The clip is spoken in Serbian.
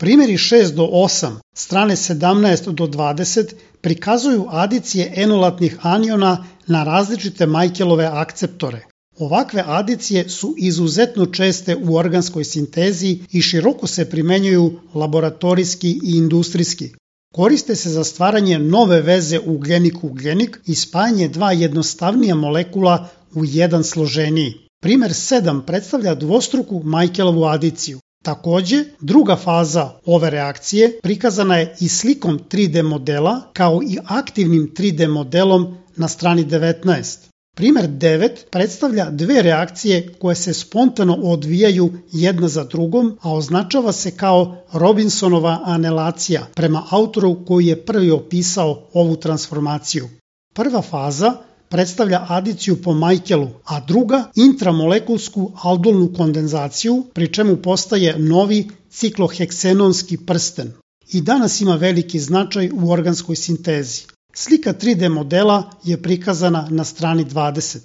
Primjeri 6 do 8, strane 17 do 20 prikazuju adicije enolatnih aniona na različite Michaelove akceptore. Ovakve adicije su izuzetno česte u organskoj sintezi i široko se primenjuju laboratorijski i industrijski. Koriste se za stvaranje nove veze ugljenik-ugljenik i spajanje dva jednostavnija molekula u jedan složeniji. Primer 7 predstavlja dvostruku Michaelovu adiciju. Takođe, druga faza ove reakcije prikazana je i slikom 3D modela kao i aktivnim 3D modelom na strani 19. Primer 9 predstavlja dve reakcije koje se spontano odvijaju jedna za drugom, a označava se kao Robinsonova anelacija prema autoru koji je prvi opisao ovu transformaciju. Prva faza predstavlja adiciju po Michaelu, a druga intramolekulsku aldolnu kondenzaciju, pri čemu postaje novi cikloheksenonski prsten. I danas ima veliki značaj u organskoj sintezi. Slika 3D modela je prikazana na strani 20.